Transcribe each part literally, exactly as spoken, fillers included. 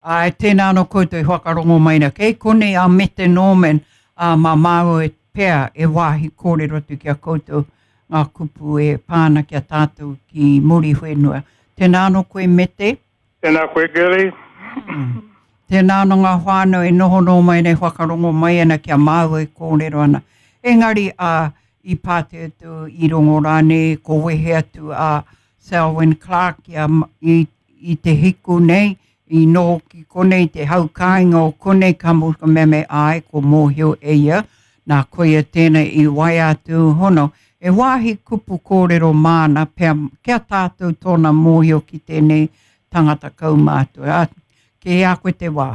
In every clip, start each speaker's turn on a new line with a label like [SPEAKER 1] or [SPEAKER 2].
[SPEAKER 1] Āe, tēnā anō koutou i whakarongo mai na. Kei konei a Mete Norman, ā, mā māua e pea e wāhi kōrero atu ki a koutou ngā kupu e pā ana ki a tātou ki Muriwhenua. Tēnā anō koe Mete.
[SPEAKER 2] Tēnā koe Gary.
[SPEAKER 1] Mm. Tēnā anō ngā whānau e noho noho mai nei, whakarongo mai ana ki a māua e kōrero ana. Engari, ā, i pātai atu, i rongo rānei, ko wehe atu a Selwyn Clark i, a, i, i te hiku nei, i noho ki konei, te hau kāinga o konei, ka mu, ka mea me āe, ko mōhio e ia, nā koia tēnei i waea atu hono. E wāhi kupu kōrero māna, pea, kia tātou tōna mōhio ki tēnei tangata kaumātua. Ā, kei a koe te wā.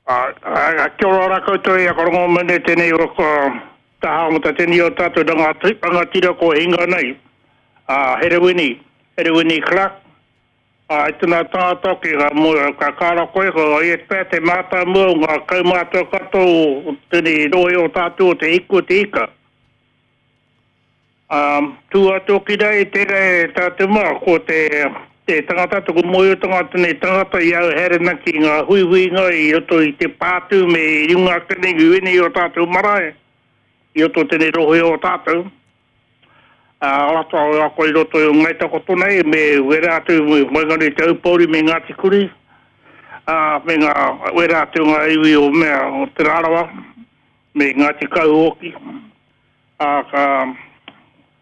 [SPEAKER 2] Ā, ā, kia ora rā koutou i a whakarongo mai nei tēnei o ka taha o ta tēnei o tātou rangatira ko hinga nei, a Herewini, Herewini Clark, ā, i tana tangata ki ngā mo, ka kāra koe, ko ia pea te mātāmua o ngā kaumātua katoa o tēnei rohe o tātou o Te Hiku o Te Ika. Ā, tū atu hoki rā i tērā e tātou mā, ko te, te tangata, taku mōhiotanga tēnei tangata i au haere ana ki ngā huihuinga i roto i te pātū me i runga ake nei i wēnei o tātou marae, i roto tēnei rohe o tātou. Ā, rata o ako i roto i o Ngai Takoto nei me wērā atu i waenganui i Te Aupōuri me Ngāti Kuri, ā, me ngā, wērā atu ngā iwi o mea o Te Rarawa me Ngāti Kahu hoki. Ā, ka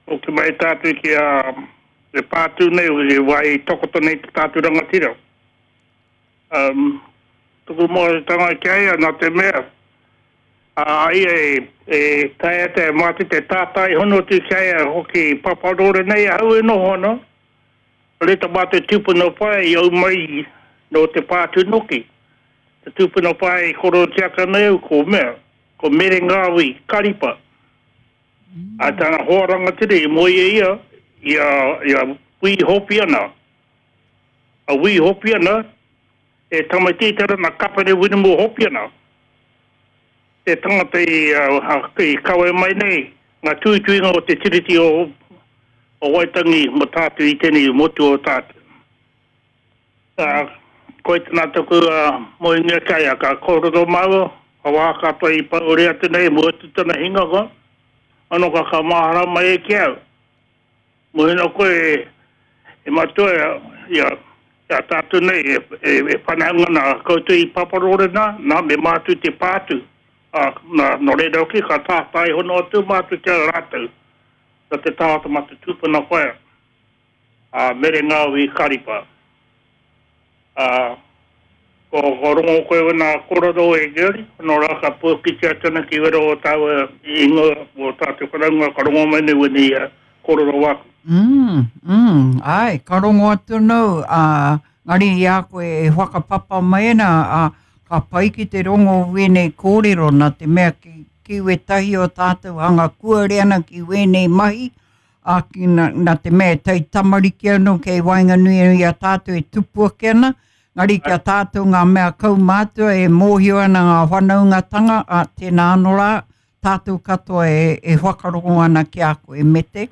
[SPEAKER 2] hoki mai tātou ki a te pātū nei, i wāhi takoto nei te tātou rangatira. Um, tuku mōhiotanga ki a ia, nā te mea, a ia e, e taea te mātou te tātai hono atu ki a ia hoki Paparore nei ahau e noho ana, reta mātou tūpuna whaea i au mai nō te pātū noki. Te tūpuna whaea i korotiaka nei au ko mea, ko Mere Ngāwi Karipa. A tana hoa rangatira i moe e ia i a, i a Wī Hopiana. A Wī Hopiana e tamaiti tera na Kapene Wiremu Hopiana. Te tangata i, uh, i kawe mai nei nga tuituinga o te Tiriti o, o Waitangi mo tātou i tenei motu o tātou. Uh, koe tana taku uh, moenga ki a ia, ka kōrero māua, ka wā katoa i paore atu nei, mua atu tana hinganga, ano ka ka mahara mai e ki au. Mohina koe e, e matua ia, ia tātou nei e, e, e whanaunga nā koutou i Paparore nā, nā me mātou te pātū. Ā, nā, nō reira hoki ka tātai hono atu mātou ki a rātou, nā te tāta mā te tūpuna whaea, a Mere Ngāwi Karipa. Ā, ko, ko rongo koe wena kōrero e Gary, nō rā ka puakitia atu ana ki wera o tāua ingoa o tātou whanaunga ka rongo mai nei wēnei kōrero wāku.
[SPEAKER 1] Mm, mm, āe, ka rongo atu nau, ā, ngari i a koe e whakapapa mai ana, ā, ka pai ki te rongo wēnei kōrero nā te mea ki, ki wētahi o tātou hanga kuare ana ki wēnei mahi, ā, ki, nā, nā te mea e tai tamariki anō kei waenganui i a tātou e tupu ake ana, ngari ki a tātou ngā mea kaumātua e mōhio ana ngā whanaungatanga, ā, tēnā anō rā, tātou katoa e, e whakarongo ana ki a koe, Mete.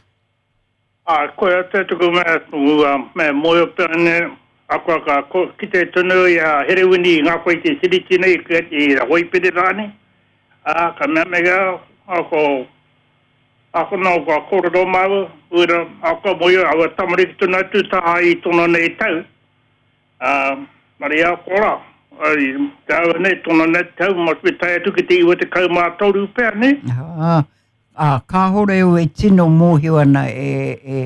[SPEAKER 2] Ā, koia te tuku mea, ua mea mōhio pea nei, akoa ka kite tonu i a Herewini i ngā koe i te tiriti nei, i Hoipere rānei, ā, ka mea mai au, ko, ako nō kua kōrero māua, uira, akoa mōhio, aua tamariki tonu atu taha i tōna nei tau, ā, maria ko rā, ai, te aua nei, tōna nei tau, must be tae atu ki te iwa tekau mā toru pea, nē?
[SPEAKER 1] Ā, Ā, kāore au e tino mōhio ana e, e,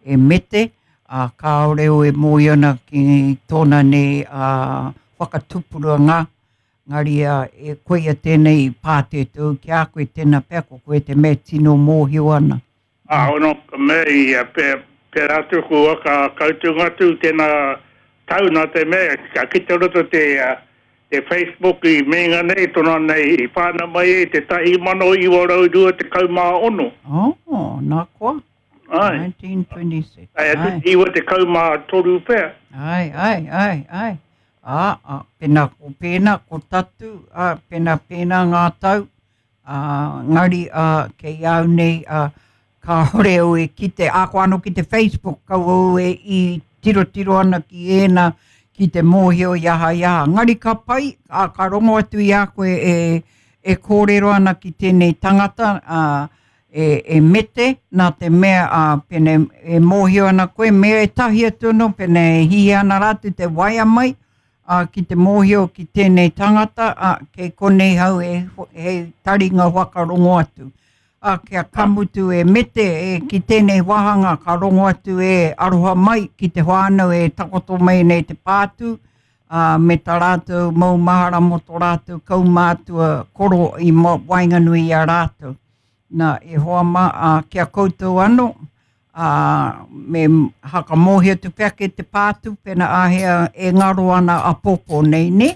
[SPEAKER 1] e Mete, ā, kāore au e mōhio ana ki tōna nei ā, whakatupuranga, ngari ā, e koia tēnei i pātētou ki a koe, tēnā pea ko koe te mea tino mōhio ana.
[SPEAKER 2] Ā, ono, ka mea ia, pē, pērā atu kua ka kautunga atu tēnā tau nā te mea, ka kite roto te, te Facebook i meinga nei, tona nei i whānau mai ai te tahi mano iwa rau rua tekau mā ono.
[SPEAKER 1] Oh, nā koa?
[SPEAKER 2] Ai.
[SPEAKER 1] nineteen twenty-six.
[SPEAKER 2] Ai, atu te iwa tekau mā toru pea.
[SPEAKER 1] Ai, ai, ai, ai. Ā, ā, pēnā ko pēnā, ko tatu, ā, pēnā pēnā ngā tau, ā, ngari, ā, kei au nei, ā, kāore au e kite, ā, ko anō ki te Facebook, kaua au e i tirotiro ana ki ēnā, ki te mōhio i aha i aha. Ngari ka pai, a, ka rongo atu i a koe e, e kōrero ana ki tēnei tangata, a, e, e mete, nā te mea a, pene, e mōhio ana koe, me e tahi atu anō, pene e hihi ana rātou te waea mai, a, ki te mōhio ki tēnei tangata, a, kei konei hau e, he taringa whakarongo atu. A, kia kamutu e mete e, ki tēnei wāhanga ka rongo atu e aroha mai ki te whānau e takoto mai nei te pātū, a, me tā rātou mau mahara mō tō rātou kaumātua koro i waenganui i a rātou. Nā, e hoa mā, a, kia koutou anō, a, me hakamōhio tu pea ke te pātū, pena āhea e ngaro ana a pōpō nei, ne?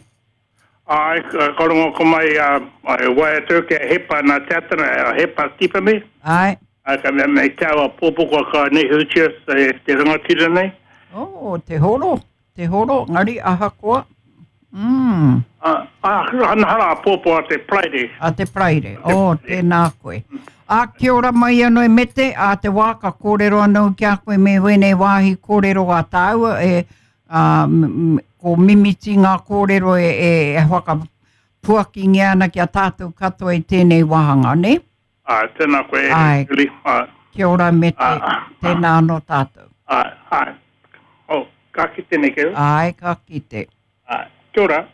[SPEAKER 2] Ai, ka rongo ko mai a, a waea tau kia hepa nā te atana, a hepa tipame.
[SPEAKER 1] Ai.
[SPEAKER 2] Ai, ka mea mei tau a pōpō kua ka nehutia te, te rangatira nei.
[SPEAKER 1] Oh, te horo, te horo, ngari ahakoa. Mm.
[SPEAKER 2] Ah, ah, hana hara a pōpō a te Paraire.
[SPEAKER 1] A te Paraire, oh, tēnā koe. A, kia ora mai anō e mete, a te wā ka kōrero anō ki a koe me wēnei wāhi kōrero a tāua, e, a, m, ko mimiti ngā kōrero e, e, e whakapuakingia ana ki a tātou katoa i tēnei wāhanga, ne?
[SPEAKER 2] Ai, tēnā koe,
[SPEAKER 1] Ai.
[SPEAKER 2] Julie. Ai.
[SPEAKER 1] Kia ora mete,
[SPEAKER 2] Ah, ah,
[SPEAKER 1] tēnā anō tātou.
[SPEAKER 2] Ai, ai. Oh, ka kite nei keu.
[SPEAKER 1] Ai, ka kite.
[SPEAKER 2] Ai, kia ora.